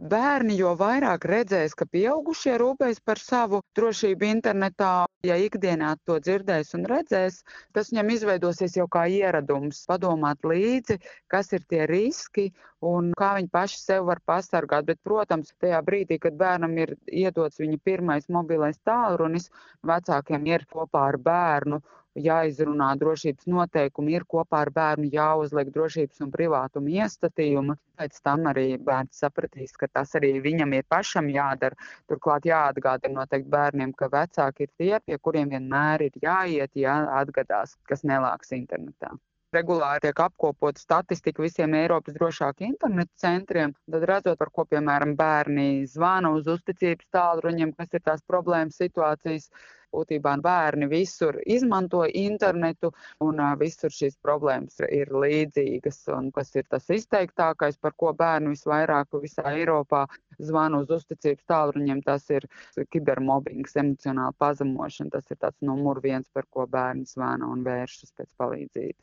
Bērni jo vairāk redzēs, ka pieaugušie rūpējas par savu drošību internetā, ja ikdienā to dzirdēs un redzēs, tas viņam izveidosies jau kā ieradums padomāt līdzi, kas ir tie riski un kā viņi paši sev var pasargāt. Bet, protams, tajā brīdī, kad bērnam ir iedots viņa pirmais mobilais tālrunis, vecākiem ir kopā ar bērnu jāizrunā drošības noteikumi, ir kopā ar bērnu jāuzliek drošības un privātuma iestatījumi. Pēc tam arī bērns sapratīs, ka tas arī viņam ir pašam jādara. Turklāt jāatgādina noteikti bērniem, ka vecāki ir tie, pie kuriem vienmēr ir jāiet, ja atgadās, kas nelāks internetā. Regulāri tiek apkopota statistika visiem Eiropas drošāku internetu centriem, tad redzot, par ko, piemēram, bērni zvana uz uzticības tālruņiem, kas ir tās problēmas situācijas. Būtībā bērni visur izmanto internetu un visur šīs problēmas ir līdzīgas. Un kas ir tas izteiktākais, par ko bērni visvairāk visā Eiropā zvana uz uzticības tālruņiem, tas ir kibermobbings, emocionāla pazemošana. Tas ir tāds numur viens, par ko bērni zvana un vēršas pēc palīdzības.